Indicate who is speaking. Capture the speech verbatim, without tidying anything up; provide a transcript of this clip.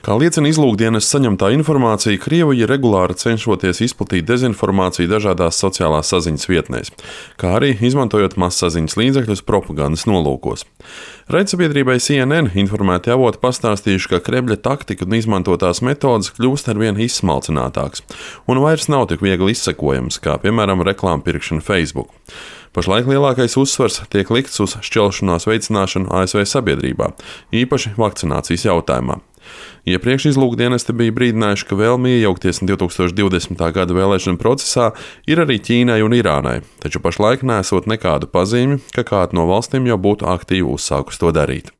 Speaker 1: Kā liecina izlūkdienas saņemtā informācija, Krievija regulāri cenšoties izplatīt dezinformāciju dažādās sociālās saziņas vietnēs, kā arī izmantojot mazsaziņas līdzekļus propagandas nolūkos. Raidsabiedrībai C N N informēti avoti pastāstījuši, ka Kremļa taktika un izmantotās metodes kļūst arvien izsmalcinātākas un vairs nav tik viegli izsekojams, kā piemēram reklāmu pirkšana Facebook. Pašlaik lielākais uzsvars tiek likts uz šķelšanās veicināšanu A S V sabiedrībā, īpaši vakcinācijas jautājumā. Iepriekš izlūkdienesti bija brīdinājuši, ka vēlme iejaukties divtūkstoš divdesmitā gada vēlēšanu procesā ir arī Ķīnai un Irānai, taču pašlaik nesot nekādu pazīmi, ka kāda no valstīm jau būtu aktīvi uzsākusi to darīt.